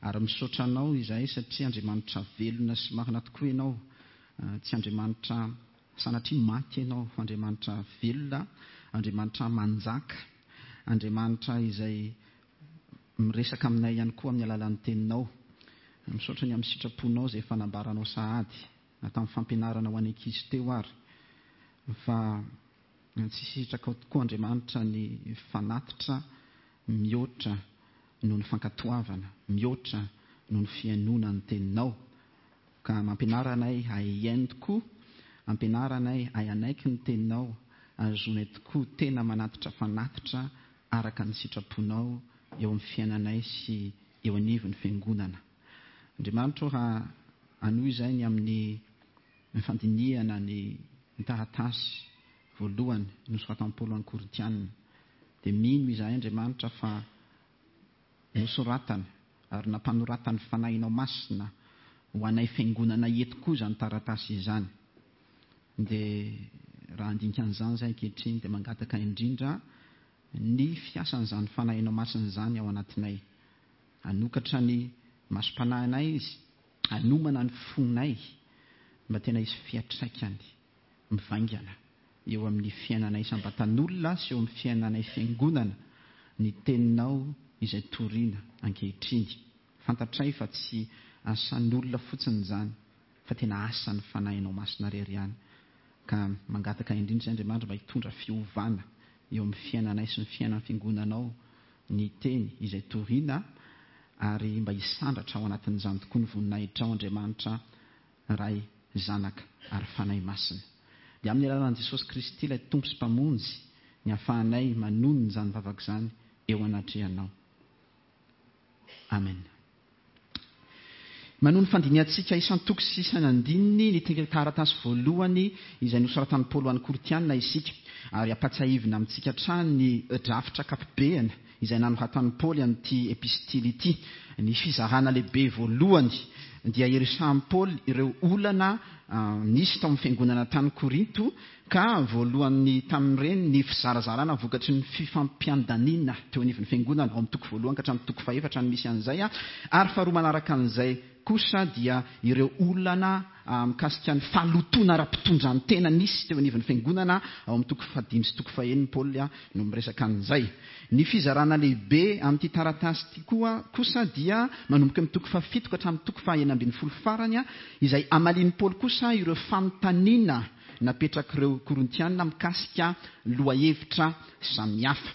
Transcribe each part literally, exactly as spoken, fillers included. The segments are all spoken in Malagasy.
Ary misaotra Anao izahay satria Andriamanitra velona sy marina tokoa Ianao. Tsy Andriamanitra sanatria maty Ianao, fa Andriamanitra velona, Andriamanitra manjaka, Andriamanitra izay miresaka aminay ihany koa amin'ny alalan'ny teninao. Misaotra ny amin'ny sitraponao izay efa nambaranao sahady na tamin'ny fampianarana ho an'ny ankizy teo ary fa tsy sitrakao tokoa Andriamanitra ny fanatitra mihoatra noho ny fankatoavana, mihoatra noho ny fihainoana ny teninao. Ka mampianara anay hahay hihaino tokoa, ampianara anay hahay hanaiky ny teninao, ahazoanay tokoa tena manatitra fanatitra araka ny sitraponao eo amin'ny fiainanay sy eo anivon'ny fiangonana. Andriamanitra ô, raha hanohy izay ny amin'ny fandinihana ny taratasy voalohany nosoratan'i Paoly ho an'ny Korintiana, dia mino izahay Andriamanitra fa nosoratany ary nampanoratan'ny Fanahinao Masina ho anay fiangonana eto koa izany taratasy izany. Dia raha handinika an'izany izahay ankehitriny dia mangataka indrindra ny fiasan'izany Fanahinao Masina izany ao anatinay. Hanokatra ny masom-panahinay Izy, hanomana ny fonay mba tena hisy fiantraikany mivaingana eo amin'ny fiainanay isam-batan'olona sy eo amin'ny fiainanay fiangonana ny teninao izay torina ankehitriny. Fantatray fa tsy asan'olona fotsiny izany, fa tena asan'ny Fanahinao Masina irery ihany. Ka mangataka indrindra izay Andriamanitra mba hitondra fiovana eo amin'ny fiainanay sy ny fiainan'ny fiangonanao ny teny izay torina, ary mba hisandratra ao anatin'izany tokoa ny voninahitrao Andriamanitra Ray, Zanaka ary Fanahy Masina. Dia amin'ny alalan'i Jesosy Kristy ilay Tompo sy Mpamonjy ny ahafahanay manonona izany vavaka izany eo anatrehanao. Amen. Manohy ny fandinihantsika isan-toko sy isan'andininy ny taratasy voalohany izay nosoratan'i Paoly ho an'ny Korintiana isika, ary ampatsiahivina amintsika hatrany ny drafitra ankapobeny izay nanoratan'i Paoly an'ity epistily ity. Ny fizarana lehibe voalohany dia iresahan'i Paoly ireo olana nisy tao amin'ny fiangonana tany Korinto, ka voalohany tamin'ireny ny fizarazarana vokatry ny fifampiandaniana teo anivon'ny fiangonana, ao amin'ny toko voalohany ka hatramin'ny toko fahefatra no misy an'izay, ary faharoa manaraka an'izay kosa dia ireo olana mikasika ny fahalotoana ara-pitondran-tena nisy teo anivon'ny fiangonana, ao amin'ny toko fahadimy sy toko fahenina Paoly no miresaka an'izay. Ny fizarana lehibe amin'ity taratasy ity koa kosa dia manomboka amin'ny toko fahafito ka hatramin'ny toko fahenina ambin'ny folo farany, izay amalian'i Paoly kosa ireo fanontaniana napetrak'ireo Korintiana mikasika lohahevitra samihafa.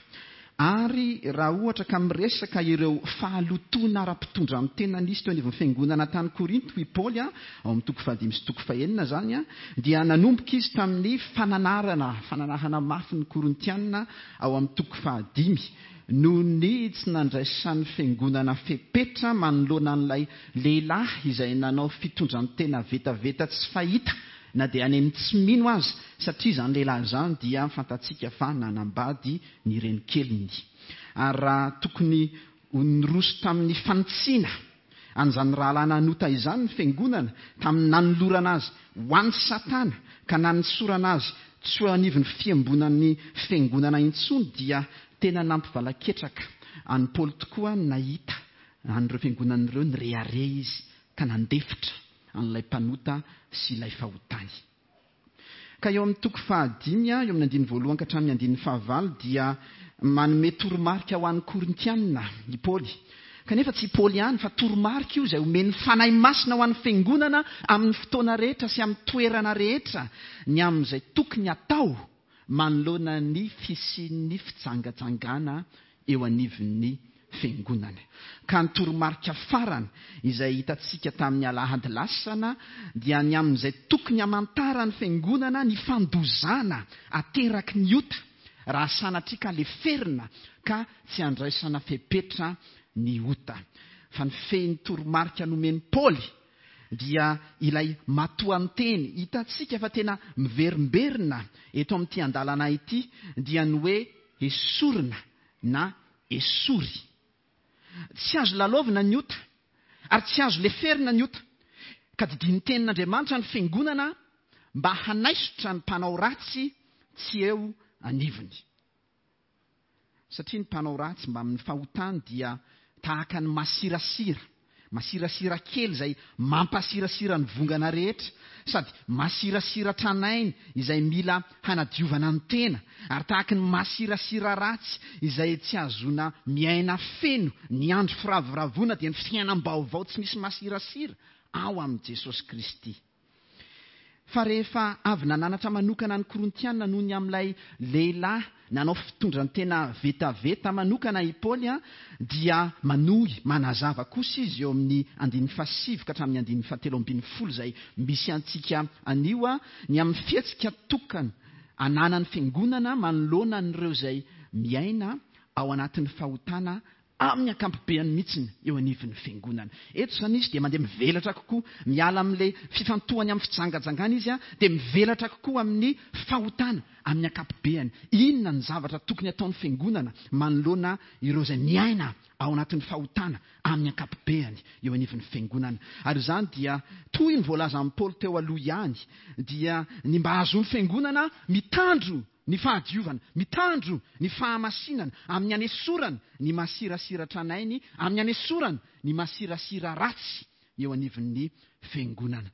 Ary raha ohatra ka miresaka ireo fahalotoana ara-pitondran-tena nisy teo anivon'ny fiangonana tany Korinto i Paoly, ao amin'ny toko fahadimy sy toko fahenina izany, dia nanomboka izy tamin'ny fananarana, fananarana mafy ny Korintiana ao amin'ny toko fahadimy, noho ny tsy nandraisan'ny fiangonana fepetra manoloana an'ilay lehilahy izay nanao fitondran-tena vetaveta tsy fahita na dia any amin'ny tsy mino aza, satria izany lehilahy izany dia fantatsika fa nanambady ny renikeliny. Ary raha tokony ho niroso tamin'ny fanitsiana an'izany rahalahy nanota izany ny fiangonana, tamin'ny nanolorana azy ho an'i Satana ka nanosorana azy tsy ho anivon'ny fiambonan'ny fiangonana intsony, dia tena nampivalaketraka an'i Paoly tokoa nahita an'ireo fiangonana ireo nirehareha izy ka nandefitra an'ilay mpanota sy ilay fahotany. Ka eo amin'ny toko fahadimy, eo amin'ny andininy voalohany ka hatramin'ny andininy fahavalo, dia manome toromarika ho an'ny Korintiana i Paoly. Kanefa tsy i Paoly ihany, fa toromarika io izay omen'ny Fanahy Masina ho an'ny fiangonana amin'ny fotoana rehetra sy amin'ny toerana rehetra ny amin'izay tokony hatao manoloana ny fisian'ny fijangajangana eo anivon'ny fiangonana. Ka ny toromarika farany izay hitantsika tamin'ny alahady lasana dia ny amin'izay tokony hamantaran'ny fiangonana ny fandozana ateraky ny ota raha sanatria ka leferina ka tsy andraisana fepetra ny ota. Fa ny fehin'ny toromarika nomen'i Paoly dia ilay matoanteny hitantsika fa tena miverimberina eto amin'ity andalana ity, dia ny hoe esorina na esory. Tsy azo lalaovina ny ota ary tsy azo leferina ny ota, ka didian'ny tenin'Andriamanitra ny fiangonana mba hanaisotra ny mpanao ratsy tsy eo anivony. Satria ny mpanao ratsy mbamin'ny fahotany dia tahaka ny masirasira Masirasira kely izay mampasirasira ny vongana rehetra, sady masirasira tranainy izay mila hanadiovana ny tena, ary tahaky ny masirasira ratsy izay tsy ahazoana miaina feno ny andro firavoravoana, dia ny fiainam-baovao tsy misy masirasira ao amin'i Jesosy Kristy. Fa rehefa avy nananatra manokana ny Korintiana noho ny amin'ilay lehilahy nanao fitondran-tena vetaveta manokana i Paoly, dia manohy manazava kosa izy eo amin'ny andininy fahasivy ka hatramin'ny andininy fahatelo ambin'ny folo izay misy antsika anio, ny amin'ny fihetsika tokana ananan'ny fiangonana manoloana an'ireo izay miaina ao anatin'ny fahotana amin'ny ankapobeany mihitsiny eo anivon'ny fiangonana. Eto izany izy dia mandeha mivelatra kokoa, miala amin'ilay fifantohany amin'ny fijangajangana izy, dia mivelatra kokoa amin'ny fahotana amin'ny ankapobeany. Inona ny zavatra tokony ataon'ny fiangonana manoloana ireo izay miaina ao anatin'ny fahotana amin'ny ankapobeany eo anivon'ny fiangonana? Ary izany dia toy ny voalazan'i Paoly teo aloha ihany, dia ny mba hahazoan'ny fiangonana mitandro ny fahadiovana, mitandro ny fahamasinana amin'ny anesorana ny masirasira tranainy, amin'ny anesorana ny masirasira ratsy eo anivon'ny fiangonana.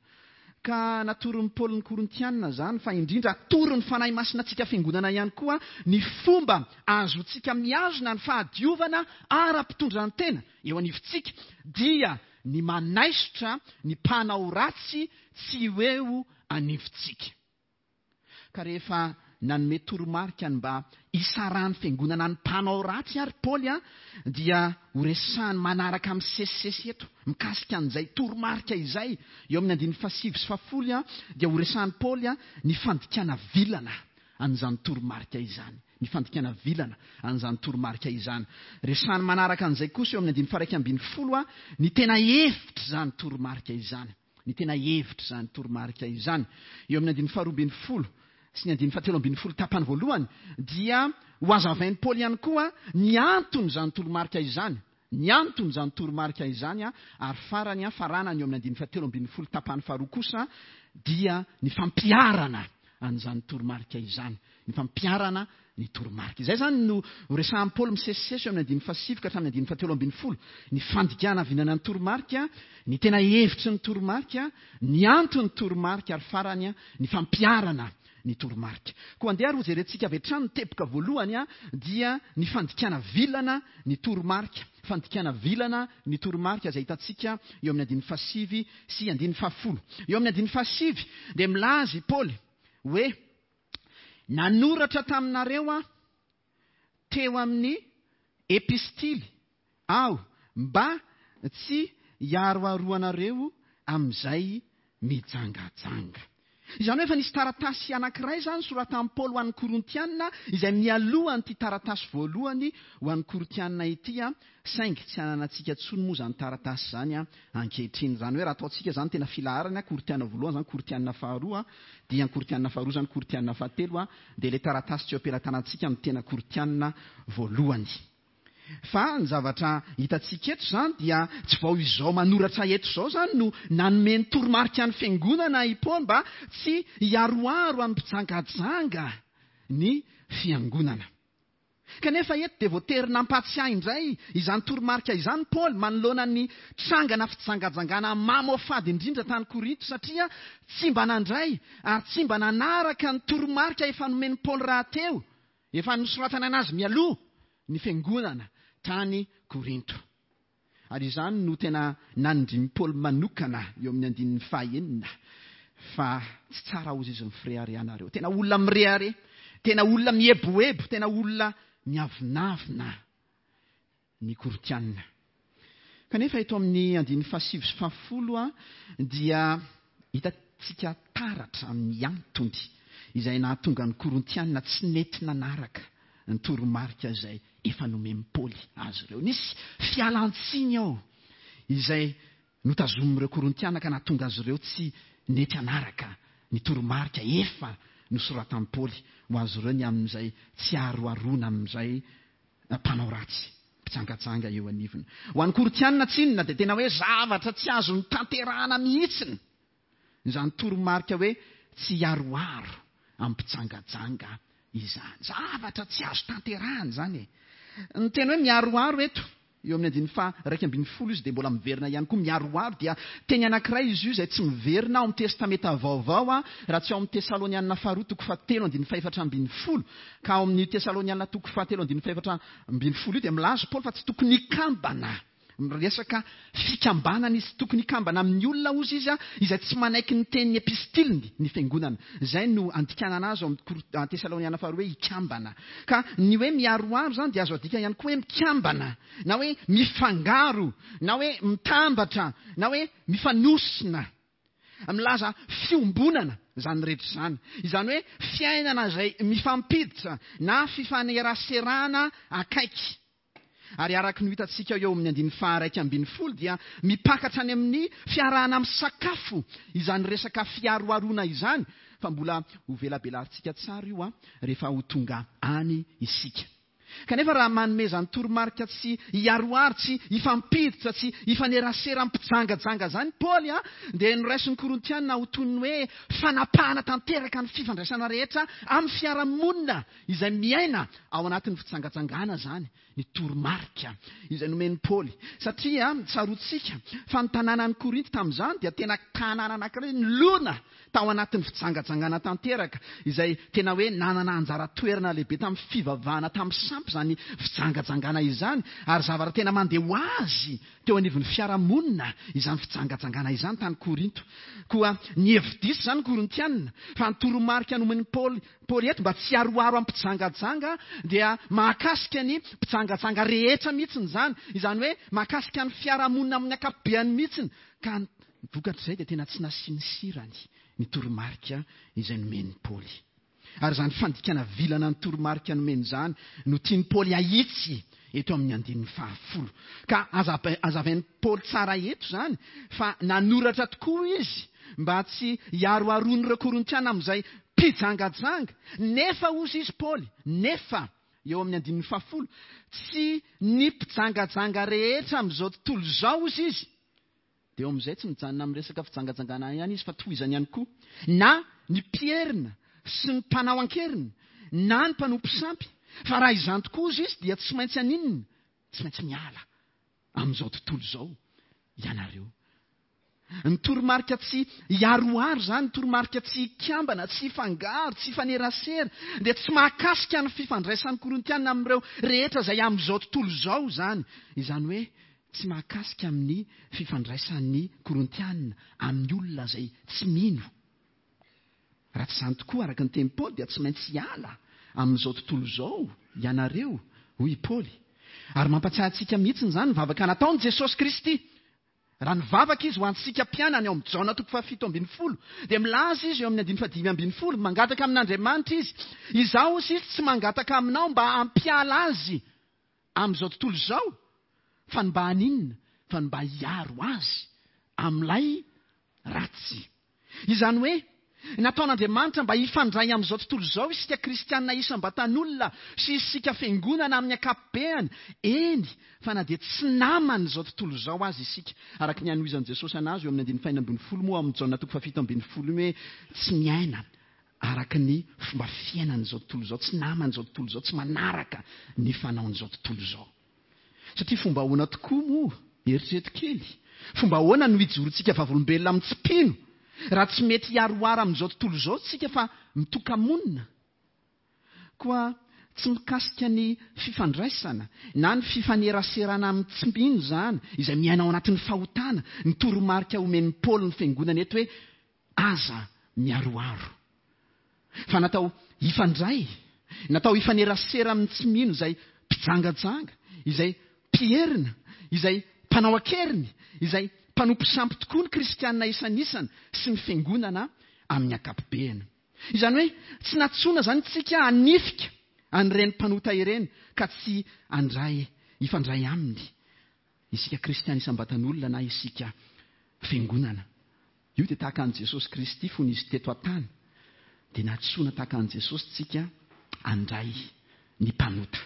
Ka natoron'i Paoly ny Korintianina izany, fa indrindra atoron'ny Fanahy Masina antsika fiangonana ihany koa ny fomba ahazoantsika mihazona ny fahadiovana ara-pitondran-tena eo anivontsika, dia ny manaisotra ny mpanao ratsy tsy ho eo anivontsika. Ka rehefa nanome toromarika ny mba hisarahan'ny fiangonana ny mpanao ratsy ary Paoly, dia horesahany manaraka amin'ny sesisesy eto mikasika an'izay toromarika izay. Eo amin'ny andininy fahasivy sy fahafolo dia horesahan'i Paoly ny fandikana vilana an'izany toromarika izany. Ny fandikana vilana an'izany toromarika izany. Resahany manaraka an'izay kosa eo amin'ny andininy faha-iraika ambin'ny folo ny tena hevitra izany toromarika izany. Ny tena hevitra izany toromarika izany. Eo amin'ny andininy faharoa ambin'ny folo sy ny andininy fahatelo ambin'ny folo tapany voalohany dia ho azavain'i Paoly ihany koa ny anton'izany toromarika izany. Ny anton'izany toromarika izany, ary farany faranany eo amin'ny andininy fahatelo ambin'ny folo tapany faharoa kosa dia ny fampiharana an'izany toromarika izany. Ny fampiharana ny toromarika. Izay izany no resahan'i Paoly misesisesy eo amin'ny andininy fahasivy ka hatramin'ny andininy fahatelo ambin'ny folo. Ny fandikana vinana ny toromarika, ny tena hevitry ny toromarika, ny anton'ny toromarika, ary farany ny fampiharana ny toromarika. Koa andeha ary hojerentsika avy hatrany ny teboka voalohany, dia ny fandikana vilana ny toromarika. Fandikana vilana ny toromarika izay hitantsika eo amin'ny andininy fahasivy sy andininy fahafolo. Eo amin'ny andininy fahasivy dia milaza i Paoly hoe nanoratra taminareo aho teo amin'ny epistily aho mba tsy hiaroharoanareo amin'izay mijangajanga. Izany hoe efa nisy taratasy anankiray izany soratan'i Paoly ho an'ny Korintianina izay mialoha an'ity taratasy voalohany ho an'ny Korintianina ity, saingy tsy ananantsika intsony moa izany taratasy izany ankehitriny. Izany hoe raha ataontsika izany tena filaharana, Korintianina voalohany izany, Korintianina faharoa, dia Korintianina faharoa izany, Korintianina fahatelo, dia ilay taratasy tsy eo am-pelatanantsika no tena Korintianina voalohany. Fa ny zavatra hitantsika eto izany dia tsy vao izao manoratra eto izao izany no nanome ny toromarika ny fiangonana i Paoly mba tsy hiaroaro amin'ny mpijangajanga ny fiangonana. Kanefa eto dia voatery nampatsiahy indray izany toromarika izany Paoly manoloana ny trangana fijangajangana mamoafady indrindra tany Korinto, satria tsy mba nandray ary tsy mba nanaraka ny toromarika efa nomen'i Paoly rahateo, efa nosoratana anazy mialoha ny fiangonana tany Korinto. Ary izany no tena nanindrin'i Paoly manokana eo amin'ny andininy fahenina, fa tsy tsara hozy izy mifireharehanareo. Tena olona mirehareha, tena olona mieboebo, tena olona miavonavona ny Korintianina. Kanefa eto amin'ny andininy fahasivy sy fahafolo dia hitantsika taratra amin'ny antony izay nahatonga ny Korintianina tsy nety nanaraka ny toromarika izay efa nomen'i Paoly azy ireo. Nisy fialantsiny ao izay notazomin'ireo Korintiana ka nahatonga azy ireo tsy nety hanaraka ny toromarika efa nosoratan'i Paoly ho azy ireo ny amin'izay tsy aroharoana amin'izay mpanao ratsy mpijangajanga eo anivony. Ho an'ny Korintianina tsinona dia tena hoe zavatra tsy azo notanterahana mihitsiny izany toromarika hoe tsy hiaroharo amin'ny mpijangajanga izany. Zavatra tsy azo tanterahana izany e. Ny tena hoe miaroharo eto Eo amin'ny andininy faha-iraika ambin'ny folo izy dia mbola miverina ihany koa miharoharo, dia teny anankiray izy io izay tsy miverina ao amin'ny Testamenta Vaovao, a, raha tsy ao amin'ny Tesalonianina faharoa toko fahatelo andininy fahefatra ambin'ny folo. Ka ao amin'ny Tesalonianina toko fahatelo andininy fahefatra ambin'ny folo io dia milaza Paoly fa tsy tokony hikambana. Miresaka fikambanana izy, tokony hikambana amin'ny olona ozy izy, a, izay tsy manaiky ny tenin'ny epistiliny ny fiangonana. Izay no andikanana azy ao amin'ny Kor-, Tesaloniana faharoa hoe hikambana. Ka ny hoe miharoharo izany dia azo adika ihany koa hoe mikambana, na hoe mifangaro, na hoe mitambatra, na hoe mifanosina. Milaza fiombonana izany rehetra izany. Izany hoe fiainana izay mifampiditra na fifaneraserana akaiky. Ary araka ny hitantsika eo amin'ny andininy faha-iraika ambin'ny folo dia mipaka hatrany amin'ny fiarahana amin'ny sakafo izany resaka fiharoharoana izany, fa mbola ho velabelarintsika tsara io, a, rehefa ho tonga any isika. Kanefa raha manome izany toromarika tsy hiharoharo, tsy hifampiditra, tsy hifanerasera mpijangajanga izany Paoly, a, dia noraisin'ny Korintiana ho toy ny hoe fanapahana tanteraka ny fifandraisana rehetra amin'ny fiarahamonina izay miaina ao anatin'ny fijangajangana izany ny toromarika izay nomen'i Paoly. Satria tsaroantsika fa ny tanànan'i Korinto tamin'izany dia tena tanàna anankiray nilona tao anatin'ny fijangajangana tanteraka, izay tena hoe nanana anjara toerana lehibe tamin'ny fivavahana tamin'ny sampy izany fijangajangana izany, ary zavatra tena mandeha ho azy teo anivon'ny fiarahamonina izany fijangajangana izany tany Korinto. Koa ny hevi-diso izany Korintianina, fa ny toromarika nomen'i Paoly, Paoly eto mba tsy hiharoharo amin'ny mpijangajanga dia mahakasika ny mpijangajanga rehetra mihitsy izany, izany hoe mahakasika ny fiarahamonina amin'ny ankapobeny mihitsy. Ka ny vokatr'izay dia tena tsy nasiany sirany ny toromarika izay nomen'i Paoly. Ary izany fandikana vilana ny toromarika nomeny izany no tian'i Paoly ahitsy eto amin'ny andininy fahafolo. Ka azava-, azavain'i Paoly tsara eto izany fa nanoratra tokoa izy mba tsy hiharoharoan'ireo Korintiana amin'izay mpijangajanga. Nefa hozy izy Paoly, nefa eo amin'ny andininy fahafolo, tsy ny mpijangajanga rehetra amin'izao tontolo izao hozy izy. Dia eo amin'izay tsy mijanona amin'ny resaka fijangajangana ihany izy fa tohizany ihany koa. Na ny mpierina sy ny mpanao an-keriny, na ny mpanompo sampy. Fa raha izany tokoa hozy izy dia tsy maintsy haninona? Tsy maintsy miala amin'izao tontolo izao ianareo. Ny toromarika tsy hiharoharo izany, ny toromarika tsy hikambana, tsy hifangaro, tsy hifanerasera, dia tsy mahakasika ny fifandraisan'ny Korintiana amin'ireo rehetra izay amin'izao tontolo izao izany. Izany hoe tsy mahakasika amin'ny fifandraisan'ny Korintiana amin'ny olona izay tsy mino. Raha tsy izany tokoa, araka ny tenin'i Paoly, dia tsy maintsy hiala amin'izao tontolo izao ianareo, hoy i Paoly. Ary mampatsiahy antsika mihitsy izany ny vavaka nataon'i Jesosy Kristy. Raha nivavaka izy ho antsika mpianany ao amin'ny Jaona toko fahafito ambin'ny folo, dia milaza izy eo amin'ny andininy fahadimy ambin'ny folo, mangataka amin'Andriamanitra izy. Izaho hozy izy tsy mangataka aminao mba hampiala azy amin'izao tontolo izao, fa ny mba haninona, fa ny mba hiaro azy amin'ilay ratsy. Izany hoe nataon'Andriamanitra mba hifandray amin'izao tontolo izao isika kristianina isam-batan'olona sy isika fiangonana amin'ny ankapobeny, eny fa na dia tsy naman'izao tontolo izao aza isika. Araka ny anohizan'i Jesosy anazy eo amin'ny andininy fahenina ambin'ny folo moa amin'ny Jaona toko fahafito ambin'ny folo io hoe tsy miaina araka ny fomba fiainan'izao tontolo izao, tsy naman'izao tontolo izao, tsy manaraka ny fanaon'izao tontolo izao. Satria fomba ahoana tokoa moa, eritrereto kely, fomba ahoana no hijorontsika vavolombelona amin'ny tsy mpino raha tsy mety hiharoharo amin'izao tontolo izao tsika fa mitoka-monina. Koa tsy mikasika ny fifandraisana na ny fifaneraserana amin'ny tsy mpino izany, izay miaina ao anatin'ny fahotana, ny toromarika omen'i Paoly ny fiangonana eto hoe aza miharoharo. Fa natao hifandray, natao hifanerasera amin'ny tsy mino izay mpijangajanga, izay mpierina, izay mpanao an-keriny, izay mpanompo sampy tokoa ny kristianina isanisany sy ny fiangonana amin'ny ankapobeny. Izany hoe tsy nantsoina izany tsika hanifika an'ireny mpanota ireny ka tsy handray, hifandray aminy isika kristiana isam-batan'olona na isika fiangonana. Io dia tahaka an'i Jesosy Kristy fony izy teto an-tany, dia nantsoina tahaka an'i Jesosy tsika handray ny mpanota.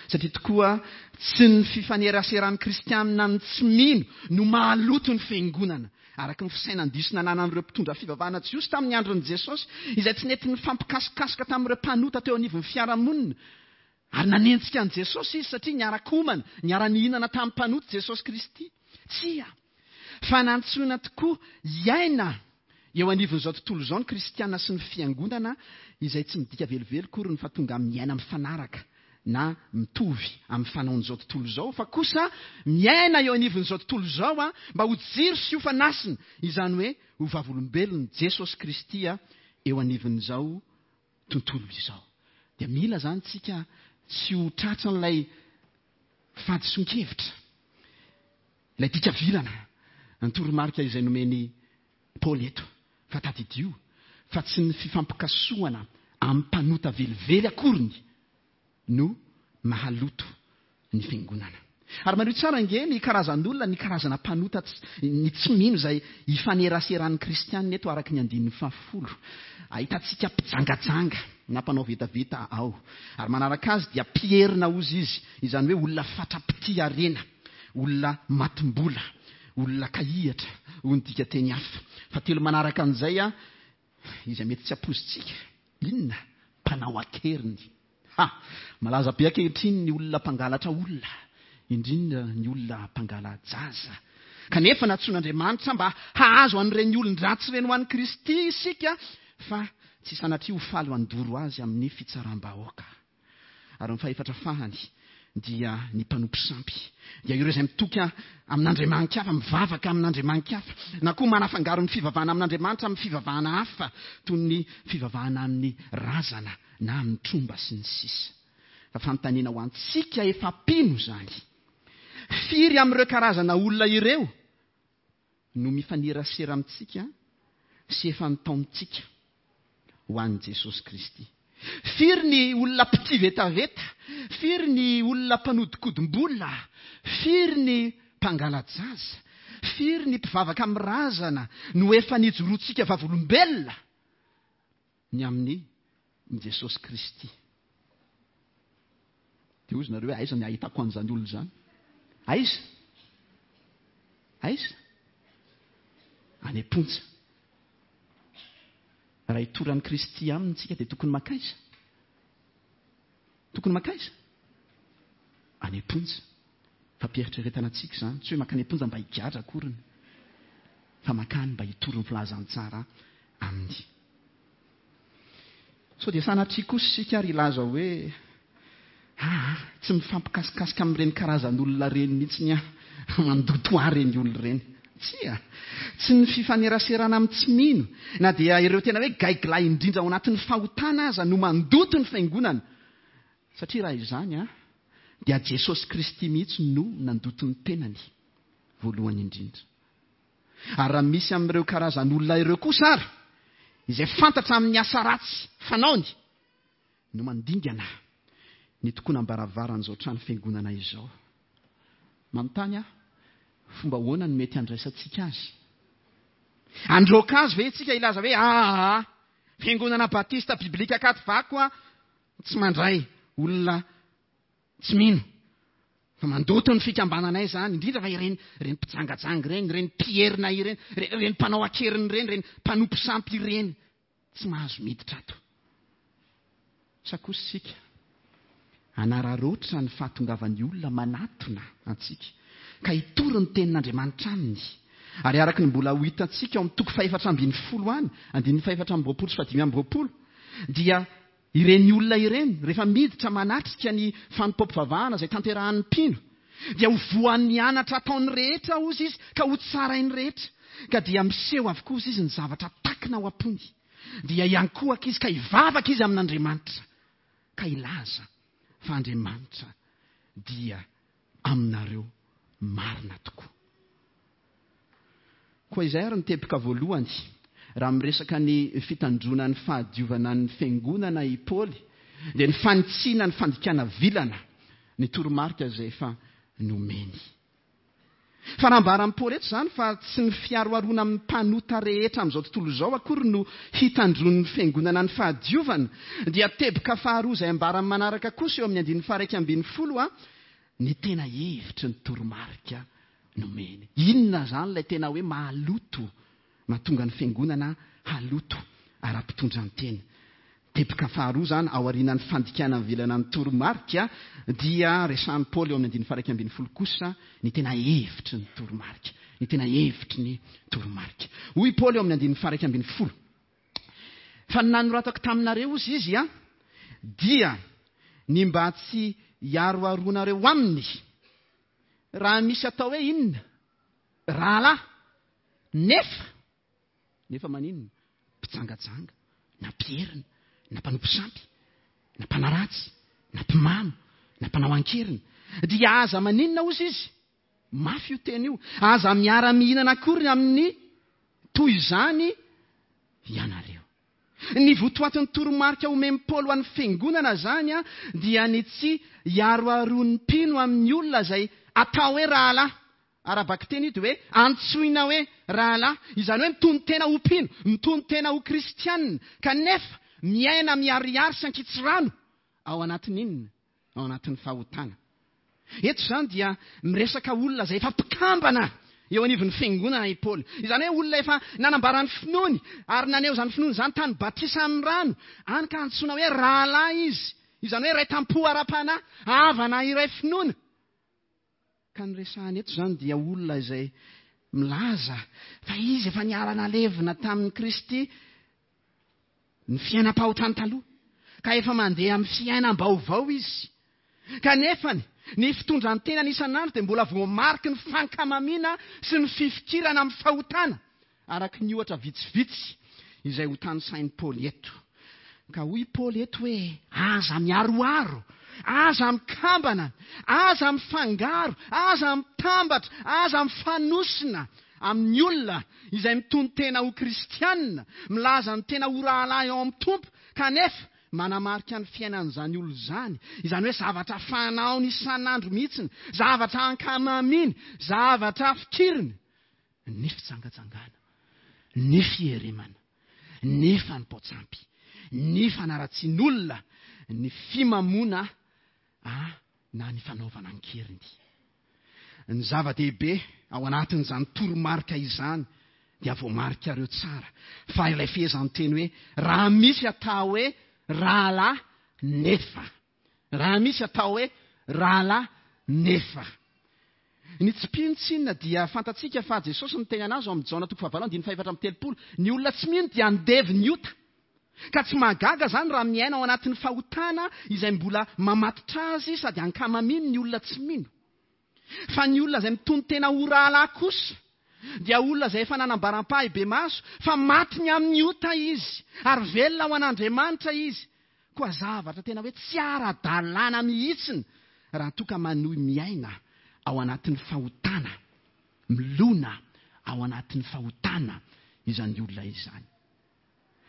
Satria tokoa tsy ny fifaneraseran'ny kristianina amin'ny tsy mino no mahaloto ny fiangonana. Araka ny fisainan-diso nananan'ireo mpitondra fivavahana jiosy tamin'ny andron'i Jesosy, izay tsy nety nifampikasokasoka tamin'ireo mpanota teo anivon'ny fiarahamonina. Ary nanenjika an'i Jesosy izy satria niara-komana, niara-nihinana tamin'ny mpanota Jesosy Kristy. Tsia, fa nantsoina tokoa hiaina eo anivon'izao tontolo izao ny kristiana sy ny fiangonana, izay tsy midika velively akory ny fa tonga miaina mifanaraka na mitovy amin'ny fanaon'izao tontolo izao, fa kosa miaina eo anivon'izao tontolo izao a mba ho jiro sy ho fanasina, izany hoe ho vavolombelon'i Jesosy Kristy a eo anivon'izao tontolo izao. Dia mila izany tsika tsy ho tratran'ilay fahadisoan-kevitra, ilay dika vilana, ny toromarika izay nomeny Paoly eto. Fa tadidio fa tsy ny fifampikasohana amin'ny mpanota velively akoriny no mahaloto ny fiangonana. Ary mariho tsara ange ny karazan'olona, ny karazana mpanota ny tsy mino izay ifaneraseran'ny kristianina eto araka ny andininy fahafolo. Ahitantsika mpijangajanga na mpanao vetaveta ao. Ary manaraka azy dia mpierina ozy izy, izany hoe olona fatra-pitia harena, olona matim-bola, olona kahihatra, hoy ny dika teny hafa. Fa telo manaraka an'izay a, izay mety tsy ampoizintsika, inona? Mpanao an-keriny. Ha! Malaza be ankehitriny ny olona mpangalatra olona, indrindra ny olona mpangala-jaza. Kanefa nantsoin'Andriamanitra mba hahazo an'ireny olon-dratsy ireny ho an'i Kristy isika, fa tsy sanatria ho faly handoro azy amin'ny fitsaram-bahoaka. Ary ny fahefatra fahany dia ny mpanompo sampy, dia ireo izay mitoky amin'Andriamanitra hafa, mivavaka amin'Andriamanitra hafa, na koa manafangaro ny fivavahana amin'Andriamanitra amin'ny fivavahana hafa, toy ny fivavahana amin'ny razana na amin'ny tromba sy ny sisa. Fa fanontaniana ho antsika efa mpino izany. Firy amin'ireo karazana olona ireo no mifanerasera amintsika sy efa nitaontsika ho an'i Jesosy Kristy? Firy ny olona mpitia vetaveta? Firy ny olona mpanodikodim-bola? Firy ny mpangala-jaza? Firy ny mpivavaka amin'ny razana no efa nijoroantsika vavolombelona ny amin'ny Jesosy Kristy? Dia hozy nareo hoe aiza ny ahitako an'izany olona izany? Aiza? Aiza? Any am-ponja. Raha hitoran'i Kristy aminy tsika dia tokony makaiza? Tokony makaiza? Any am-ponja. Fampieritreretana antsika izany. Tsy hoe makany am-ponja mba higadra akoriny, fa makany mba hitory ny filazantsara aminy. Sao dia sanatria kosa isika ary hilaza hoe ah, tsy mifampikasikasika amin'ireny karazan'olona ireny mihitsy ny aho, mandoto ahy ireny olona ireny. Tsia, tsy ny fifaneraserana amin'ny tsy mino, na dia ireo tena hoe gaigilahy indrindra ao anatin'ny fahotana aza no mandoto ny fiangonana. Satria raha izany a, dia Jesosy Kristy mihitsy no nandoto ny tenany voalohany indrindra. Ary raha misy amin'ireo karazan'olona ireo kosa ary, izay fantatra amin'ny asa ratsy fanaony, no mandingana ny tokonam-baravaran'izao trano fiangonana izao. Manontany aho, fomba ahoana no mety handraisantsika azy? Androaka azy ve isika hilaza hoe ah, fiangonana batista biblika Ankadivako a, tsy mandray olona tsy mino, fa mandoto ny fikambananay izany, indrindra fa ireny, ireny mpijangajanga ireny, ireny mpierina ireny, ireny mpanao an-keriny ireny, ireny mpanompo sampy ireny, tsy mahazo miditra ato. Sa kosa isika hanararaotra ny fahatongavan'ny olona manatona antsika ka hitory ny tenin'Andriamanitra aminy. Ary araka ny mbola ho hitantsika ao amin'ny toko fahefatra ambin'ny folo any, andininy fahefatra amby roapolo sy fahadimy amby roapolo, dia ireny olona ireny rehefa miditra manatrika ny fanompoam-pivavahana izay tanterahan'ny mpino, dia ho voan'ny anatra ataon'ny rehetra ozy izy ka ho tsarain'ny rehetra, ka dia miseho avokoa ozy izy ny zavatra takina ao am-pony. Dia hiankohoka izy ka hivavaka izy amin'Andriamanitra ka hilaza fa Andriamanitra dia aminareo marina tokoa. Koa izay ary ny teboka voalohany raha miresaka ny fitandroana ny fahadiovana ny fiangonana i Paoly, dia ny fanitsiana ny fandikana vilana ny toromarika izay efa nomeny. Fa raha ambaran'i Paoly eto izany fa tsy ny fiaroharoana amin'ny mpanota rehetra amin'izao tontolo izao akory no hitandroan'ny fiangonana ny fahadiovana, dia teboka faharoa izay ambaran'ny manaraka kosa eo amin'ny andininy faha-iraika ambin'ny folo a, ny tena hevitry ny toromarika nomeny. Inona izany ilay tena hoe mahaloto, mahatonga ny fiangonana haloto ara-pitondran-tena? Teboka faharoa zany aorian'ny fandikana mivelana ny toromarika dia resahan'i Paoly eo amin'ny andininy faha iraika ambin'ny folo kosa ny tena hevitry ny toromarika. Ny tena hevitry ny toromarika. Hoy Paoly eo amin'ny andininy faha iraika ambin'ny folo: fa ny nanoratako taminareo ozy izy a dia ny mba tsy hiaroaroanareo aminy raha misy atao hoe inona rahalahy nefa nefa maninona mpijangajanga na mpierina na mpanompo sampy na mpanaratsy na mpimamo na mpanao ankeriny dia aza maninona ozy izy. Mafy io teny io. Aza miara-mihinana akory amin'ny toy izany ianareo. Ny votoatin'ny toromarika omen'i Paoly ho an'ny fiangonana zany a dia ny tsy hiaroaroan'ny mpino amin'ny olona izay atao hoe rahalahy. Ara-bakiteny io dia hoe antsoina hoe rahalahy, izany hoe mitono tena ho mpino, mitono tena ho kristianina, kanefa miaina miharihary sy ankitsirano ao anatin'inona? Ao anatin'ny fahotana. Eto izany dia miresaka olona izay efa mpikambana eo anivon'ny fiangonana i Paoly. Izany hoe olona efa nanambara ny finoany ary naneho izany finoany izany tany batisa amin'ny rano, any ka antsoina hoe rahalahy izy. Izany hoe iray tampo ara-panahy, havana iray finoana. Ka ny resahana eto izany dia olona izay milaza fa izy efa niara-nalevina tamin'i Kristy ny fiainam-pahotany taloha, ka efa mandeha amin'ny fiainam-baovao izy. Kanefa ny fitondran-tenany isan'andro dia mbola voamariky ny fankamamiana sy ny fifikirana amin'ny fahotana, araka ny ohatra vitsivitsy izay ho tanisain'i Paoly eto. Ka hoy Paoly eto hoe aza miaroaro, aza mikambana, aza mifangaro, aza mitambatra, aza mifanosina amin'ny olona izay mitono tena ho kristianina, milaza ny tena ho rahalahy ao amin'ny Tompo, kanefa manamarika ny fiainan'izany olona izany. Izany hoe zavatra fanaony isan'andro mihitsiny, zavatra ankamaminy, zavatra fikiriny, ny fijangajangana, ny fieremana, ny fanompoan-tsampy, ny fanaratsian'olona, ny fimamoana a na ny fanaovana an-keriny. Ny zava-dehibe ao anatin'izany toromarika izany dia voamarikareo tsara fa ilay fehezanteny hoe raha misy atao hoe rahalahy nefa, raha misy atao hoe rahalahy nefa. Ny tsy mpino tsinona dia fantatsika fa Jesosy niteny anazy ao amin'ny Jaona toko fahavalo andininy fahefatra amby telopolo, ny olona tsy mino dia andevo ny ota. Ka tsy mahagaga zany raha miaina ao anatin'ny fahotana izay mbola mamatotra azy sady ankamaminy ny olona tsy mino. Fa ny olona izay mitono tena ho rahalahy kosa dia olona izay efa nanambaram-pahibemaso fa maty ny amin'ny ota izy ary velona ho an'Andriamanitra izy. Koa zavatra tena hoe tsy ara-dalàna mihitsiny raha toa ka manohy miaina ao anatin'ny fahotana, milona ao anatin'ny fahotana izany olona izany.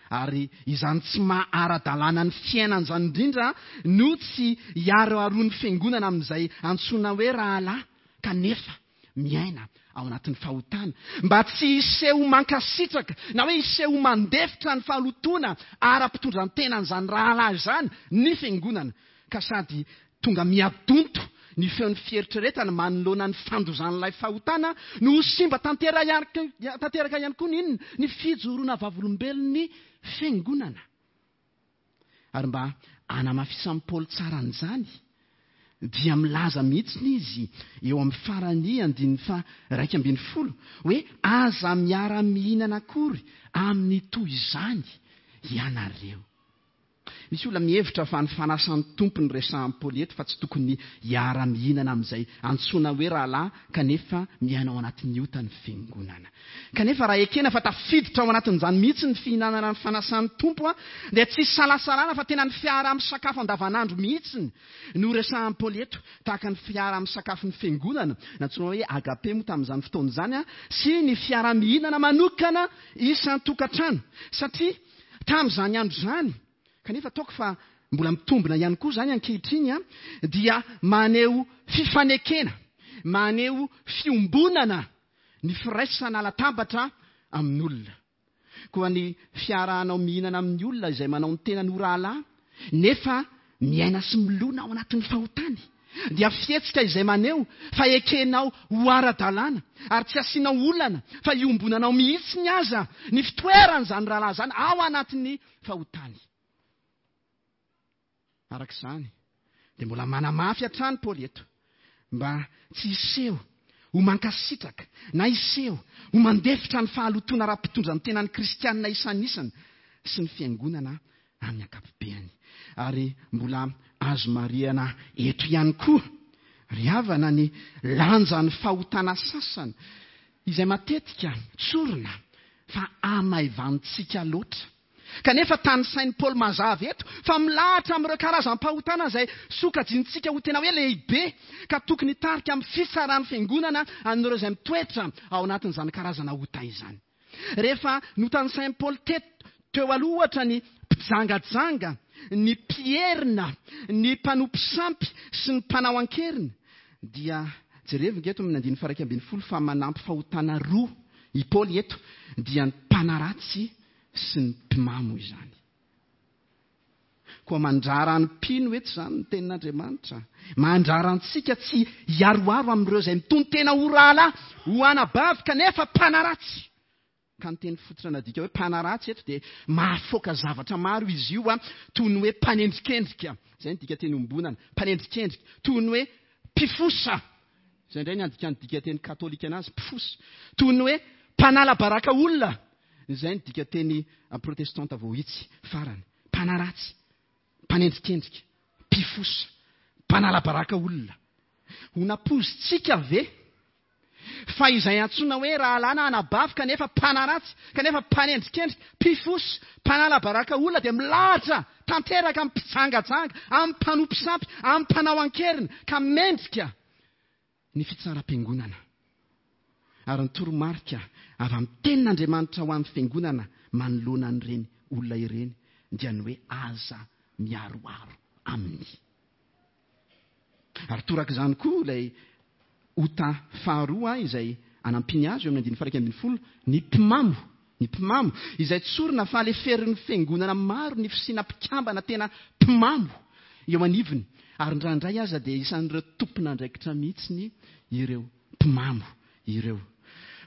Ary izany tsy maha-ara-dalàna ny fiainan'izany indrindra no tsy hiaroaroan'ny fiangonana amin'izay antsoina hoe rahalahy kanefa miaina ao anatin'ny fahotana, mba tsy hiseho mankasitraka na hoe hiseho mandefitra ny fahalotoana ara-pitondran-tenan'izany rahalahy izany ny fiangonana, ka sady tonga miadonto ny feon'ny fieritreretana manoloana ny fandozan'ilay fahotana no ho simba tanteraka ihany koa ny inona? Ny fijoroana vavolombelon'ny fiangonana. Ary mba hanamafisan'i Paoly tsara an'izany dia milaza mihitsy izy eo amin'ny farany andininy faha iraika ambin'ny folo hoe aza miara-mihinana akory amin'ny toy izany ianareo. Misy olona mihevitra fa ny fanasan'ny Tompo ny resahan'i Paoly eto fa tsy tokony hiara-mihinana amin'izay antsoina hoe rahalahy kanefa miaina ao anatin'ny ota ny fiangonana. Kanefa raha ekena fa tafiditra ao anatin'izany mihitsy ny fihinanana ny fanasan'ny Tompo dia tsy salasalana fa tena ny fiaraha-misakafo andavanandro mihitsy no resahan'i Paoly eto, tahaka ny fiaraha-misakafon'ny fiangonana nantsoina hoe agape moa tamin'izany fotoana izany sy ny fiaraha-mihinana manokana isan-tokantrano, satria tamin'izany andro izany, kanefa ataoko fa mbola mitombina ihany koa izany ankehitriny, dia maneho fifanekena, maneho fiombonana ny firaisana latabatra amin'olona. Koa ny fiarahanao mihinana amin'ny olona izay manao ny tenany ho rahalahy nefa miaina sy milona ao anatin'ny fahotany dia fihetsika izay maneho fa ekenao ho ara-dalàna ary tsy asianao olana fa iombonanao mihitsy ny aza ny fitoeran'izany rahalahy izany ao anatin'ny fahotany. Araka izany, dia mbola manamafy hatrany Paoly eto mba tsy hiseho ho mankasitraka na hiseho ho mandefitra ny fahalotoana ara-pitondran-tenan'ny kristianina isanisany sy ny fiangonana amin'ny ankapobeny. Ary mbola azo marihana eto ihany koa, ry havana, ny lanjan'ny fahotana sasany izay matetika tsorina fa hamaivantsika loatra. Kanefa tanisain'i Paoly mazava eto fa milahatra amin'ireo karazam-pahotana izay sokajintsika ho tena hoe lehibe ka tokony hitarika amin'ny fitsaran'ny fiangonana an'ireo izay mitoetra ao anatin'izany karazana ota izany. Rehefa notanisain'i Paoly teto teo aloha ohatra ny mpijangajanga, ny mpierina, ny mpanompo sampy sy ny mpanao an-keriny, dia jerevo eto amin'ny andininy faha iraika ambin'ny folo fa manampy fahotana roa i Paoly eto, dia ny mpanaratsy sy ny mpimamo izany. Koa mandrara ny mpino eto izany ny tenin'Andriamanitra. Mandrara antsika tsy hiaroaro amin'ireo izay mitonon-tena ho rahalahy, ho anabavy, kanefa mpanaratsy. Ka ny teny fototra nadika hoe mpanaratsy eto dia mahafoaka zavatra maro izy io, toy ny hoe mpanendrikendrika. Izay ny dika teny ombonana, mpanendrikendrika. Toy ny hoe mpifosa. Izay indray ny andikan'ny dika teny katolika anazy, mpifosa. Toy ny hoe mpanala baraka olona. Izay ny dika teny protestanta voahitsy farany. Mpanaratsy, mpanendrikendrika, mpifosa, mpanala baraka olona. Ho nampoizitsika ve fa izay antsoina hoe rahalahy na anabavy kanefa mpanaratsy, kanefa mpanendrikendrika, mpifosa, mpanala baraka olona dia milahatra tanteraka amin'ny mpijangajanga, amin'ny mpanompo sampy, amin'ny mpanao an-keriny ka mendrika ny fitsaram-piangonana. Ary ny toromarika avy amin'ny tenin'Andriamanitra ho an'ny fiangonana manoloana an'ireny olona ireny dia ny hoe aza miaroaro aminy. Ary toraka izany koa ilay ota faharoa izay anampiany azy eo amin'ny andininy faha iraika ambin'ny folo, ny mpimamo, ny mpimamo izay tsorina fa leferin'ny fiangonana maro ny fisiana mpikambana tena mpimamo eo anivony, ary indraindray aza dia isan'ireo tompon'andraikitra mihitsy ireo mpimamo ireo.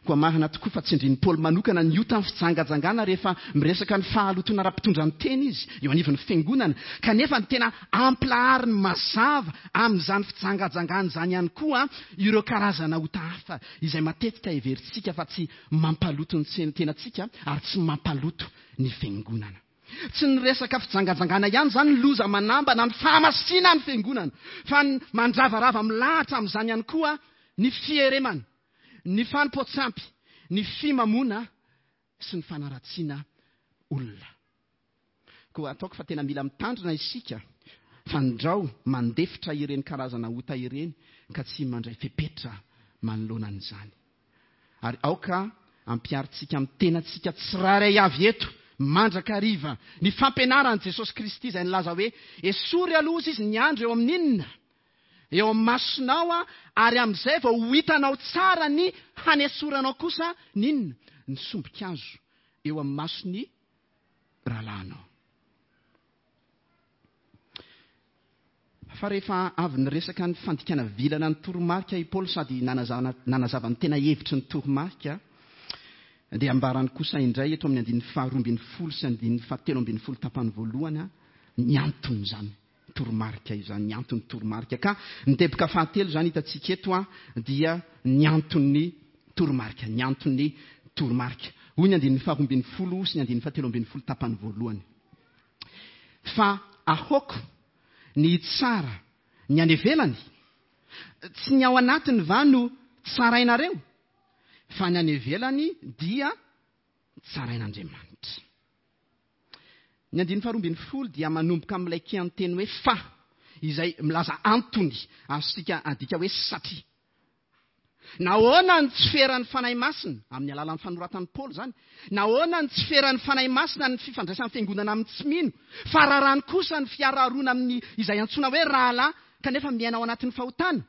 Koa marina tokoa fa tsindrin'i Paoly manokana ny ota ny fijangajangana rehefa miresaka ny fahalotoana ara-pitondran-tena izy eo anivon'ny fiangonana, kanefa ny tena ampilahariny mazava amin'izany fijangajangana izany ihany koa ireo karazana ota hafa izay matetika heverintsika fa tsy mampaloto ny tenantsika ary tsy mampaloto ny fiangonana. Tsy ny resaka fijangajangana ihany izany ny loza manambana ny fahamasina ny fiangonana, fa ny mandravarava milahatra amin'izany ihany koa ny fieremana, ny fanompoan-tsampy, ny fimamoana sy ny fanaratsiana olona. Koa ataoko fa tena mila mitandrina isika fandrao mandefitra ireny karazana ota ireny ka tsy mandray fepetra manoloana an'izany. Ary aoka ampiharintsika amin'ny tenantsika tsirairay avy eto mandrakariva ny fampianaran'i Jesosy Kristy izay nilaza hoe esory aloha izy ny andro eo amin'inona? Eo amin'ny masonao, ary amin'izay vao ho hitanao tsara ny hanesoranao kosa n'inona? Ny sombin-kazo eo amin'ny mason'ny rahalahinao. Fa rehefa avy niresaka ny fandikana vilana ny toromarika i Paoly sady nanazava ny tena hevitry ny toromarika, dia ambarany kosa indray eto amin'ny andininy faharoa ambin'ny folo sy andininy fahatelo ambin'ny folo tapany voalohany ny anton'izany toromarika izany, ny anton'ny toromarika. Ka ny teboka fahatelo izany hitantsika eto dia ny anton'ny toromarika, ny anton'ny toromarika. Hoy ny andininy faharoa ambin'ny folo sy ny andininy fahatelo ambin'ny folo tapany voalohany. Fa ahoako ny tsara ny any ivelany, tsy ny ao anatiny va no tsarainareo, fa ny any ivelany dia tsarain'Andriamanitra. Ny andininy faharoa ambin'ny folo dia manomboka amin'ilay kianteny hoe fa, izay milaza antony azontsika adika hoe satria. Nahoana ny tsy feran'ny Fanahy Masina amin'ny alalan'ny fanoratan'i Paoly izany? Nahoana ny tsy feran'ny Fanahy Masina ny fifandraisan'ny fiangonana amin'ny tsy mino, fa rarany kosa ny fiaraharoana amin'ny izay antsoina hoe rahalahy kanefa miaina ao anatin'ny fahotana?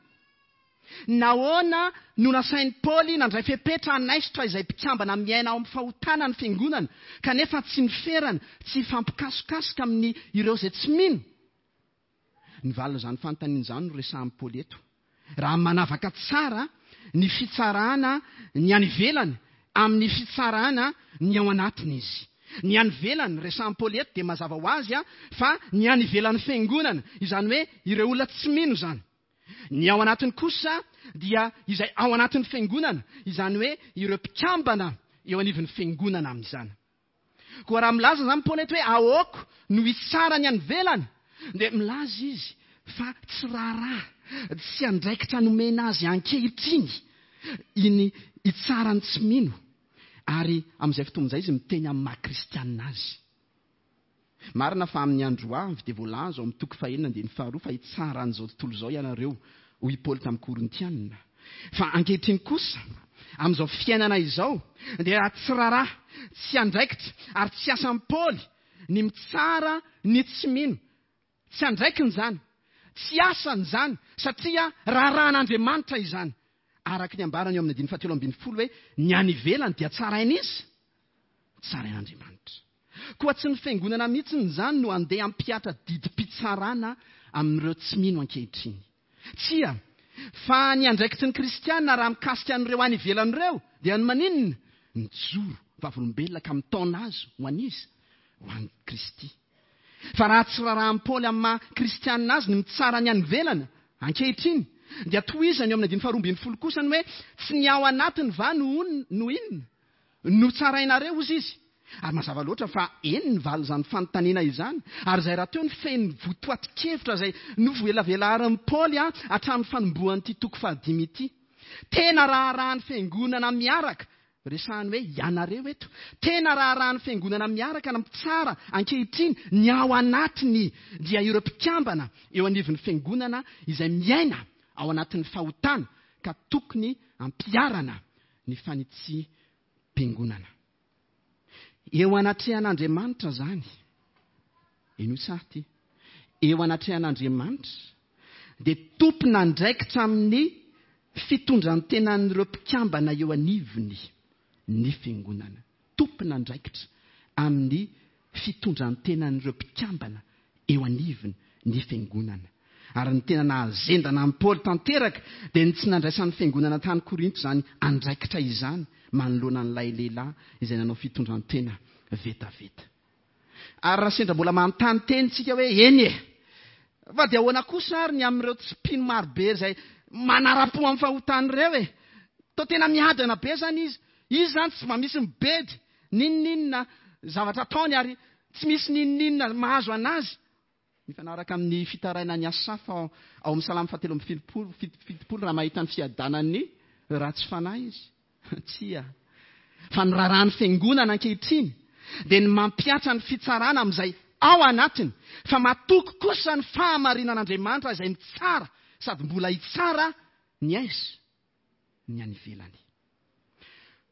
Nahoana no nasain'i Paoly nandray fepetra hanaisotra izay mpikambana miaina ao amin'ny fahotana ny fiangonana kanefa tsy niferana, tsy hifampikasokasoka amin'ny ireo izay tsy mino? Ny valin'izany fanontaniana izany no resahan'i Paoly eto. Raha manavaka tsara ny fitsarana ny any ivelany amin'ny fitsarana ny ao anatiny izy. Ny any ivelany resahan'i Paoly eto dia mazava ho azy a fa ny any ivelan'ny fiangonana, izany hoe ireo olona tsy mino izany. Ny ao anatiny kosa dia izay ao anatin'ny fiangonana, izany hoe ireo mpikambana eo anivon'ny fiangonana amin'izany. Koa raha milaza izany Paoly eto hoe ahoako no hitsara ny any ivelany, dia milaza izy fa tsy raharaha, tsy andraikitra nomena azy ankehitriny iny hitsara ny tsy mino. Ary amin'izay fotoana izay izy miteny amin'ny maha kristianina azy. Marina fa amin'ny andro avy dia voalaza ao amin'ny toko fahenina andininy faharoa fa hitsara an'izao tontolo izao ianareo, hoy i Paoly tamin'ny Korintianina. Fa ankehitriny kosa, amin'izao fiainana izao, dia tsy raharaha, tsy andraikitra ary tsy asan'i Paoly ny mitsara ny tsy mino. Tsy andraikiny izany, tsy asany izany, satria raharahan'Andriamanitra izany. Araka ny ambarany eo amin'ny andininy fahatelo ambin'ny folo hoe ny any ivelany dia tsaraina izy, tsarain'Andriamanitra. Koa tsy ny fiangonana mihitsy izany no andeha hampihatra didim-pitsarana amin'ireo tsy mino ankehitriny. Tsia, fa ny andraikitry ny kristiana raha mikasika an'ireo any ivelany ireo dia ny maninona? Mijoro vavolombelona ka mitaona azy ho an'iza? Ho an'i Kristy. Fa raha tsy raharahan'i Paoly amin'ny maha kristianina azy ny mitsara ny any ivelany ankehitriny, dia tohizany eo amin'ny andininy faharoa ambin'ny folo kosa ny hoe tsy ny ao anatiny va no on-, no inona? No tsarainareo, hozy izy. Ary mazava loatra fa eny ny valin'izany fanontaniana izany, ary izay rahateo ny feno votoatin-kevitra izay novoelavelarin'i Paoly a hatramin'ny fanombohan'ity toko fahadimy ity. Tena raharahan'ny fiangonana miaraka, resahany hoe ianareo eto, tena raharahan'ny fiangonana miaraka na mitsara ankehitriny ny ao anatiny dia ireo mpikambana eo anivon'ny fiangonana izay miaina ao anatin'ny fahotana ka tokony ampiharana ny fanitsim-piangonana. Eo anatrehan'Andriamanitra izany, eno tsara ity, eo anatrehan'Andriamanitra dia tompon'andraikitra amin'ny fitondran-tenan'ireo mpikambana eo anivony ny fiangonana. Tompon'andraikitra amin'ny fitondran-tenan'ireo mpikambana eo anivony ny fiangonana. Ary ny tena nahazendana amin'i Paoly tanteraka dia ny tsy nandraisan'ny fiangonana tany Korinto izany andraikitra izany manoloana an'ilay lehilahy izay nanao fitondran-tena vetaveta. Ary raha sendra mbola manontany teny tsika hoe eny e, fa dia ahoana kosa ary ny amin'ireo tsy mpino marobe izay manara-po amin'ny fahotana ireo e? Toa tena miadana be izany izy. Izy izany tsy mba misy mibedy n'inon'inona zavatra ataony ary tsy misy n'inon'inona mahazo anazy. Mifanaraka amin'ny fitarainan'ny Asafa ao, ao amin'ny Salamo fahatelo amby fitopolo, fitopolo raha mahita ny fiadanan'ny ratsy fanahy izy. Tsia. Fa ny raharahan'ny fiangonana ankehitriny dia ny mampihatra ny fitsarana amin'izay ao anatiny, fa matoky kosa ny fahamarinan'Andriamanitra izay mitsara sady mbola hitsara ny aiza ny any ivelany.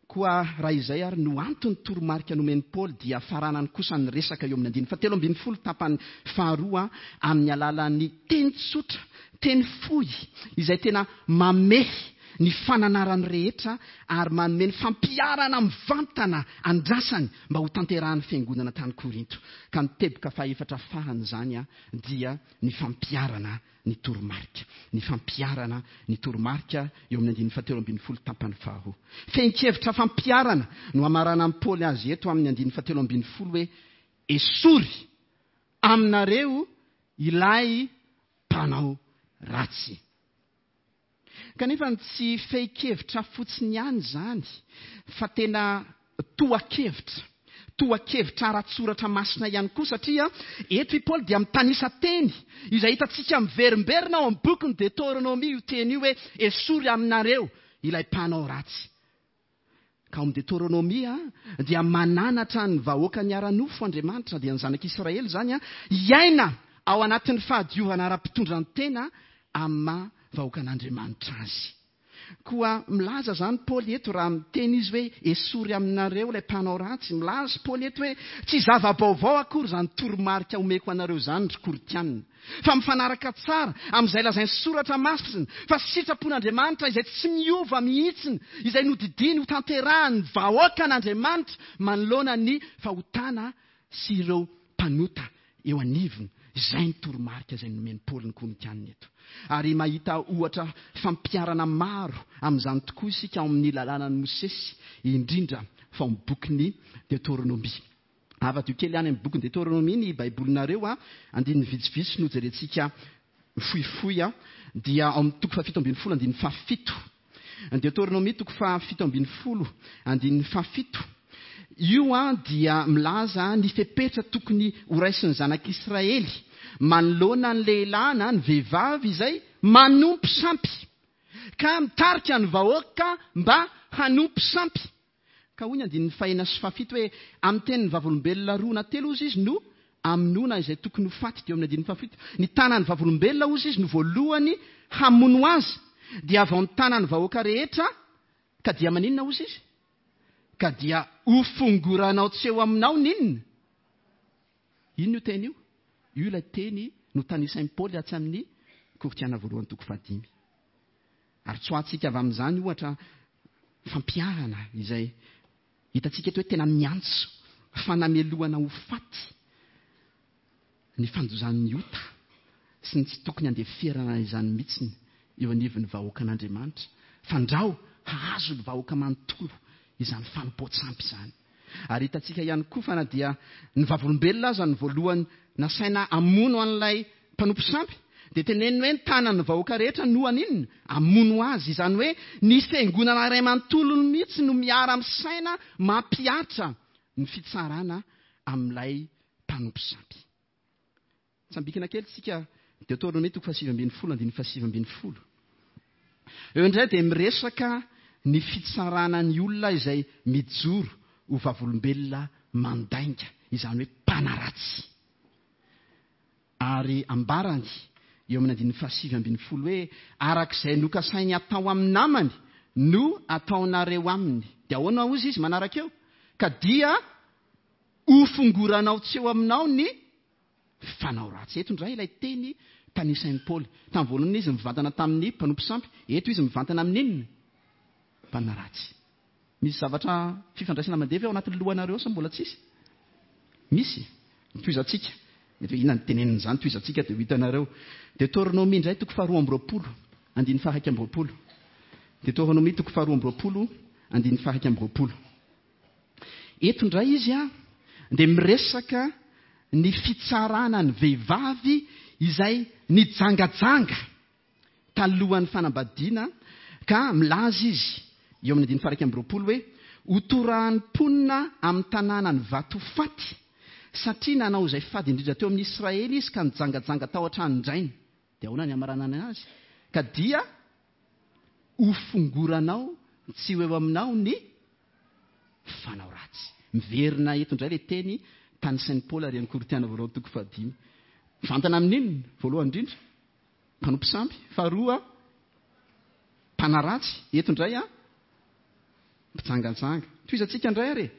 Koa raha izay ary no antony toromarika nomen'i Paoly dia faranany kosa ny resaka eo amin'ny andininy fahatelo ambin'ny folo tapany faharoa amin'ny alalan'ny teny tsotra, teny fohy izay tena mamehy ny fananarany rehetra ary manome ny fampiharana mivantana andrasany mba ho tanterahan'ny fiangonana tany Korinto. Ka ny teboka fahefatra farany izany a dia ny fampiharana ny toromarika. Ny fampiharana ny toromarika eo amin'ny andininy fahatelo ambin'ny folo tapany faharoa. Fehin-kevitra fampiharana no hamaranan'i Paoly azy eto amin'ny andininy fahatelo ambin'ny folo hoe esory aminareo ilay mpanao ratsy. Kanefa ny tsy fehin-kevitra fotsiny ihany izany fa tena toha-kevitra. Toha-kevitra ara-tsoratra masina ihany koa, satria eto i Paoly dia mitanisa teny izay hitantsika miverimberina ao amin'ny bokin'ny Deutéronomie io teny io hoe esory aminareo ilay mpanao ratsy. Ka ao amin'ny Deutéronomie dia mananatra ny vahoaka ny ara-nofo Andriamanitra, dia ny zanak'Israely izany, hiaina ao anatin'ny fahadiovana ara-pitondran-tena amin'ny maha vahoakan'Andriamanitra azy. Koa milaza izany Paoly eto raha miteny izy hoe esory aminareo ilay mpanao ratsy. Milaza Paoly eto hoe tsy zava-baovao akory izany toromarika omeko anareo izany ry Korintianina, fa mifanaraka tsara amin'izay lazain'ny soratra masina fa sitrapon'Andriamanitra izay tsy miova mihitsiny, izay nodidiany ho tanterahan'ny vahoakan'Andriamanitra manoloana ny fahotana sy ireo mpanota eo anivony. Izay ny toromarika izay nomen'i Paoly ny Korintianina eto. Ary mahita ohatra fampiharana maro amin'izany tokoa isika ao amin'ny lalànan'i Mosesy, indrindra fa ao amin'ny bokin'ny Deutéronomie. Avadio kely any amin'ny bokin'ny Deutéronomie ny baibolinareo a, andininy vitsivitsy no jerentsika fohifohy a, dia ao amin'ny toko fahafito ambin'ny folo andininy fahafito. Deutéronomie toko fahafito ambin'ny folo andininy fahafito. Io a dia milaza ny fepetra tokony horaisin'ny zanak'Israely manoloana ny lehilahy na ny vehivavy izay manompo sampy, ka mitarika ny vahoaka mba hanompo sampy. Ka hoy ny andininy fahenina sy fahafito hoe amin'ny tenin'ny vavolombelona roa na telo ozy izy no amonoana izay tokony ho faty. Dia eo amin'ny andininy fahafito, ny tanan'ny vavolombelona ozy izy no voalohany hamono azy, dia avy ao ny tanan'ny vahoaka rehetra, ka dia maninona ozy izy? Ka dia hofongoranao tsy eo aminao n'inona? Inona io teny io? Io ilay teny notanisain'i Paoly atsy amin'ny Korintiana voalohany toko fahadimy. Ary tsoahantsika avy amin'izany ohatra fampiharana izay hitantsika eto hoe tena miantso fanamelohana ho faty ny fandozan'ny ota sy ny tsy tokony handeferana izany mihitsiny eo anivon'ny vahoakan'Andriamanitra, fandrao hahazo ny vahoaka manontolo izany fanompoan-tsampy izany. Ary hitantsika ihany koa fa na dia ny vavolombelona aza ny voalohany nasaina hamono an'ilay mpanompo sampy, dia teneniny hoe ny tanan'ny vahoaka rehetra no haninona? Hamono azy. Izany hoe ny fiangonana iray manontolo mihitsy no miara-misaina mampihatra ny fitsarana amin'ilay mpanompo sampy. Tsambikina kely tsika Deutéronomie toko fahasivy ambin'ny folo andininy fahasivy ambin'ny folo. Eo indray dia miresaka ny fitsarana ny olona izay mijoro ho vavolombelona mandainga, izany hoe mpanaratsy. Ary ambarany eo amin'ny andininy fahasivy ambin'ny folo hoe arak'izay nokasainy atao amin'ny namany no ataonareo aminy. Dia ahoana hozy izy manaraka eo? Ka dia hofongoranao tsy eo aminao ny fanao ratsy. Eto indray ilay teny tanisain'i Paoly. Tamin'ny voalohany izy mivantana tamin'ny mpanompo sampy, eto izy mivantana amin'inona? Mpanaratsy. Misy zavatra fifandraisana mandeha ve ao anatin'ny lohanareo sa mbola tsisy? Misy. Tohizantsika. Mety hoe inona ny tenenin'izany, tohizantsika dia ho hitanareo. Deutéronomie indray toko faharoa amby roapolo, andininy faha-iraika amby roapolo. Deutéronomie toko faharoa amby roapolo, andininy faha-iraika amby roapolo. Eto indray izy a dia miresaka ny fitsarana ny vehivavy izay nijangajanga talohan'ny fanambadiana, ka milaza izy eo amin'ny andininy faha-iraika amby roapolo hoe hotorahan'ny mponina amin'ny tanàna ny vato faty, satria nanao izay fady indrindra teo amin'ny Israely izy ka nijangajanga tao an-tranon-drainy. Dia ahoana ny hamaranana azy? Ka dia hofongoranao tsy ho eo aminao ny fanao ratsy. Miverina eto indray ilay teny tanisain'i Paoly ary amin'ny Korintiana voalohany toko fahadimy. Mivantana amin'inona? Voalohany indrindra, mpanompo sampy. Faharoa, mpanaratsy. Eto indray a, mpijangajanga. Tohizantsika indray ary e.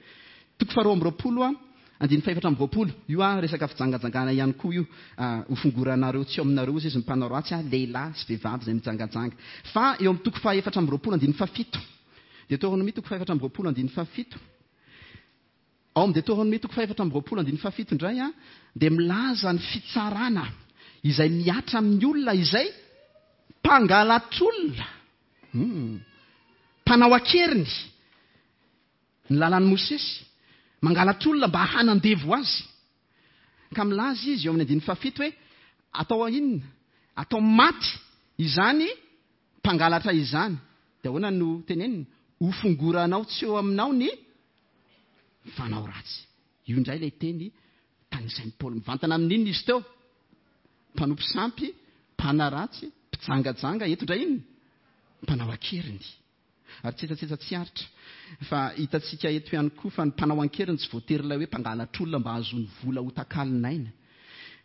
Toko faharoa amby roapolo a, andininy fahefatra amby roapolo. Io a resaka fijangajangana ihany koa io. Hofongoranareo tsy eo aminareo izy ny mpanao ratsy a, lehilahy sy vehivavy izay mijangajanga. Fa eo amin'ny toko fahefatra amby roapolo andininy fahafito. Deutéronomie toko fahefatra amby roapolo andininy fahafito. Ao amin'ny Deutéronomie toko fahefatra amby roapolo andininy fahafito indray a, dia milaza ny fitsarana izay mihatra amin'ny olona izay mpangalatr'olona, hmm. mpanao an-keriny ny lalàn'i Mosesy, mangalatr'olona mba hanandevo azy. Ka milaza izy eo amin'ny andininy fahafito hoe atao inona? Atao maty izany mpangalatra izany. Dia ahoana no teneniny? Hofongoranao tsy eo aminao ny fanao ratsy. Io indray ilay teny tanisain'i Paoly. Mivantana amin'inona izy teo? Mpanompo sampy, mpanaratsy, mpijangajanga. Eto indray inona? Mpanao an-keriny. Ary tsetsatsetsa tsy aritra. Fa hitantsika eto ihany koa fa ny mpanao an-keriny tsy voatery ilay hoe mpangalatr'olona mba hahazoany vola ho takalon'aina.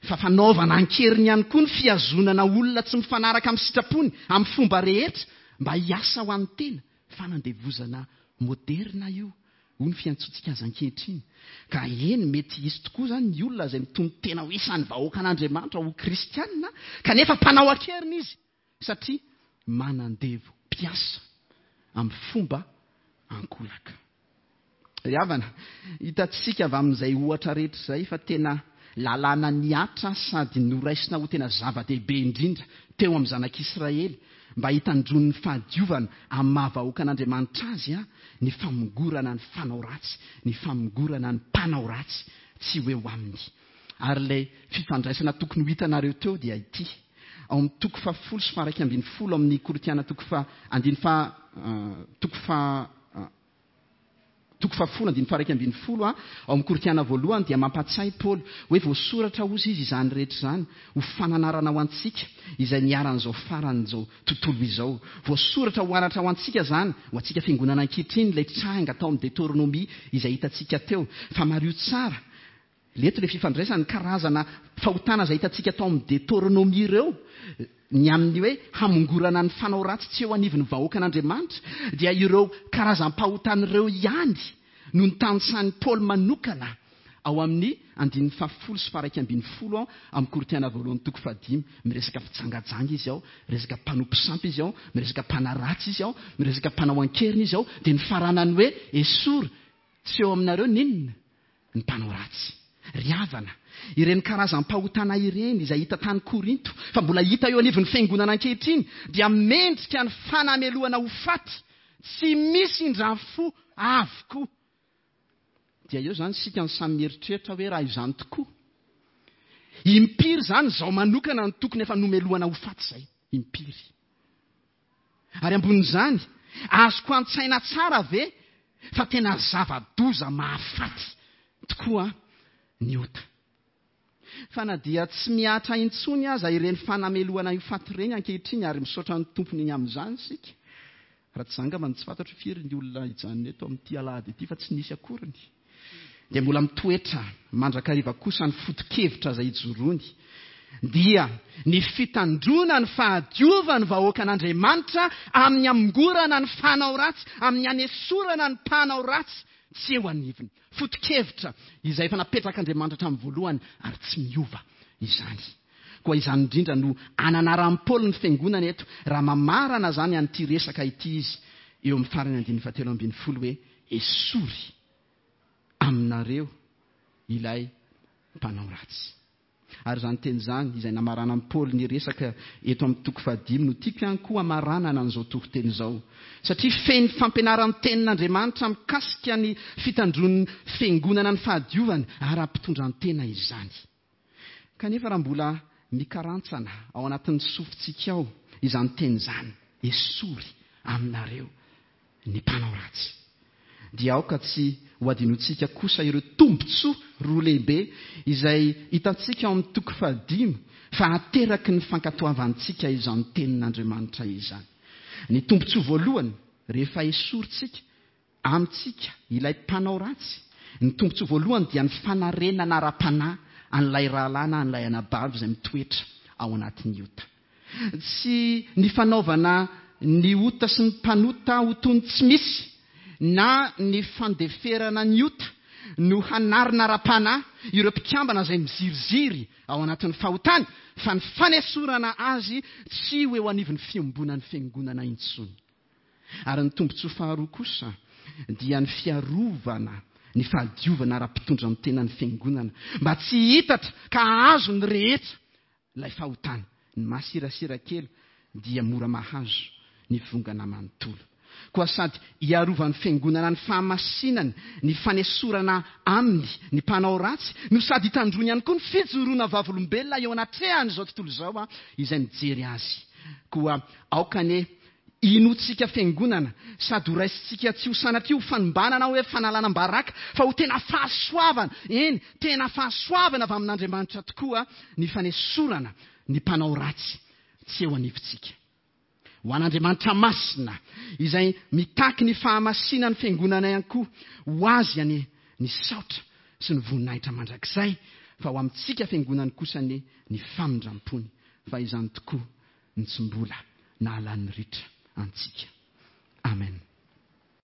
Fa fanaovana an-keriny ihany koa ny fihazonana olona tsy mifanaraka amin'ny sitrapony, amin'ny fomba rehetra, mba hiasa ho an'ny tena. Fanandevozana moderna io, hoy ny fiantsoantsika azy ankehitriny. Ka eny, mety hisy tokoa izany ny olona izay mitono tena ho isan'ny vahoakan'Andriamanitra ho kristianina, kanefa mpanao an-keriny izy, satria manandevo mpiasa amin'ny fomba ankolaka. Ry havana, hitantsika avy amin'izay ohatra rehetra izay fa tena lalàna nihatra sady noraisina ho tena zava-dehibe indrindra teo amin'ny zanak'Israely mba hitandroan'ny fahadiovana amin'ny maha-vahoakan'Andriamanitra azy a ny famongorana ny fanao ratsy, ny famongorana ny mpanao ratsy tsy ho eo aminy. Ary ilay fifandraisana tokony ho hitanareo teo dia ity. Ao amin'ny toko fahafolo sy faha-iraika ambin'ny folo amin'ny Korintiana toko faha andiny faha toko faha toko fahafolo andiny faha-iraika ambin'ny folo a ao amin'ny Korintiana voalohany dia mampatsiahy Paoly hoe voasoratra hozy izy izany rehetra izany ho fananarana ho antsika izay niharan'izao faran'izao tontolo izao. Voasoratra ho anatra ho antsika izany, ho antsika fiangonana ankehitriny ilay tranga tao amin'ny Deutéronomie izay hitantsika teo. Fa mariho tsara leto ilay fifandraisana ny karazana fahotana izay hitantsika tao amin'ny Deutéronomie ireo, ny amin'ny hoe hamongorana ny fanao ratsy tsy eo anivon'ny vahoakan'Andriamanitra, dia ireo karazam-pahotana ireo ihany no notanisan'i Paoly manokana ao amin'ny andininy fahafolo sy faha-iraika ambin'ny folo ao amin'ny Korintiana voalohany toko fahadimy. Miresaka fijangajanga izy ao, miresaka mpanompo sampy izy ao, miresaka mpanaratsy izy ao, miresaka mpanao an-keriny izy ao, dia ny faranany hoe esory tsy eo aminareo n'inona ny mpanao ratsy. Ry havana, ireny karazam-pahotana ireny izay hita tany Korinto fa mbola hita eo anivon'ny fiangonana ankehitriny dia mendrika ny fanamelohana ho faty tsy misy indrafo avokoa. Dia eo izany isika ny samy mieritreritra hoe raha izany tokoa, impiry izany izao manokana ny tokony efa nomelohana ho faty izay, impiry. Ary ambonin'izany, azoko an-tsaina tsara ve fa tena zava-doza mahafaty tokoa ny ota. Fa na dia tsy mihatra intsony aza ireny fanamelohana io faty ireny ankehitriny, ary misaotra ny tompony iny amin'izany isika. Raha tsy zangamba ny tsy fantatro firy ny olona hijanona eto amin'ity alahady ity fa tsy nisy akoriny. Dia mbola mitoetra mandrakariva kosa ny foto-kevitra izay ijoroany, dia ny fitandroana ny fahadiovan'ny vahoakan'Andriamanitra amin'ny hamongorana ny fanao ratsy, amin'ny hanesorana ny mpanao ratsy tsy eo anivony. Foto-kevitra izay efa napetrak'Andriamanitra hatramin'ny voalohany ary tsy miova izany. Koa izany indrindra no ananaran'i Paoly ny fiangonana eto raha mamarana izany an'ity resaka ity izy eo amin'ny farany andininy fahatelo ambin'ny folo hoe esory aminareo ilay mpanao ratsy. Ary izany teny izany izay namaranan'i Paoly ny resaka eto amin'ny toko fahadimy no tiako ihany koa hamaranana an'izao toriteny izao. Satria feno fampianaran'ny tenin'Andriamanitra mikasika ny fitandroan'ny fiangonana ny fahadiovana ary hampitondran-tena izany. Kanefa raha mbola mikarantsana ao anatin'ny sofintsika ao izany teny izany, esory aminareo ny mpanao ratsy. Dia aoka tsy ho adinointsika kosa ireo tombontsoa roa lehibe izay hitantsika ao amin'ny toko fahadimy fa ateraky ny fankatoavantsika izany tenin'Andriamanitra izany. Ny tombontsoa voalohany, rehefa esorintsika amintsika ilay mpanao ratsy, ny tombontsoa voalohany dia ny fanarenana ara-panahy an'ilay rahalahy na an'ilay anabavy izay mitoetra ao anatin'ny ota. Tsy ny fanaovana ny ota sy ny mpanota ho toy ny tsy misy na ny fandeferana ny ota no hanarina ara-panahy ireo mpikambana izay miziriziry ao anatin'ny fahotany, fa ny fanesorana azy tsy ho eo anivon'ny fiombonan'ny fiangonana intsony. Ary ny tombontsoa faharoa kosa dia ny fiarovana ny fahadiovana ara-pitondran-tena ny fiangonana mba tsy hitatra ka hahazo ny rehetra ilay fahotana. Ny masirasira kely dia mora mahazo ny vongana manontolo. Koa sady hiarovan'ny fiangonana ny fahamasinany, ny fanesorana aminy ny mpanao ratsy, no sady hitandroany ihany koa ny fijoroana vavolombelona eo anatrehan'izao tontolo izao izay mijery azy. Koa aoka anie inoantsika fiangonana sady ho raisintsika tsy ho sanatria ho fanombanana hoe fanalana baraka, fa ho tena fahasoavana, eny, tena fahasoavana avy amin'Andriamanitra tokoa ny fanesorana ny mpanao ratsy tsy eo anivontsika. Ho an'Andriamanitra masina izay mitaky ny fahamasinan'ny fiangonana ihany koa, ho azy anie ny saotra sy ny voninahitra mandrakizay, fa ho amintsika fiangonany kosa anie ny famindrampony, fa izany tokoa ny tsy mbola nahalany ritra antsika.